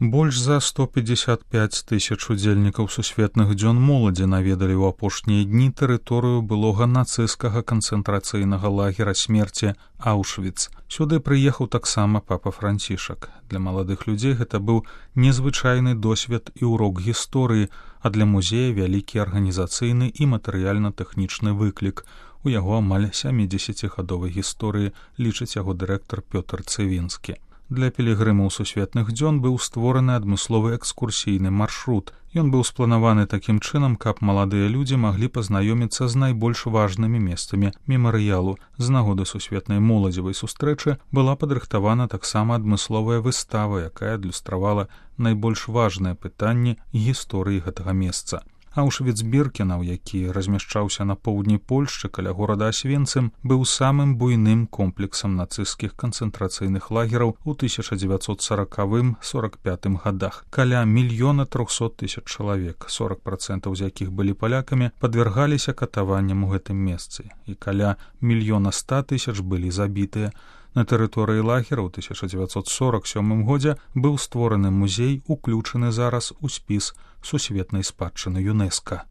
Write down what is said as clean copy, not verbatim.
Больш за 155 тысяч удзельнікаў сусветных дзён моладзі наведалі ў апошнія дні тэрыторыю былога нацысцкага канцэнтрацыйнага лагера смерці Аўшвіц. Сюды прыехаў таксама папа Францішак. Для маладых людзей гэта быў незвычайны досвед і ўрок гісторыі, а для музея вялікі арганізацыйны і матэрыяльна-тэхнічны выклік. У яго амаль 70гадовай гісторыі, лічыць яго дырэктар Пётр Цывінскі. Для пілігрымаў сусветных дзён быў створаны адмысловы экскурсійны маршрут. Ён быў спланаваны такім чынам, каб маладыя людзі маглі пазнаёміцца з найбольш важнымі месцамі мемарыялу. З нагоды сусветнай моладзевай сустрэчы была падрыхтавана таксама адмысловая выстава, якая адлюстравала найбольш важныя пытанні гісторыі гэтага месца. Аўшвіц-Біркенаў, які размяшчаўся на поўдні Польшчы каля горада Асвенцым, быў самым буйным комплексам нацысцкіх канцэнтрацыйных лагераў у 1940-45 годах. Каля 1 300 000 чалавек, 40% з якіх былі палякамі, падвяргаліся катаванням у гэтым месцы, і каля 1 100 000 былі забітыя. На тэрыторыі лагера ў 1947 годзе быў створаны музей, уключаны зараз у спіс сусветнай спадчыны ЮНЕСКА.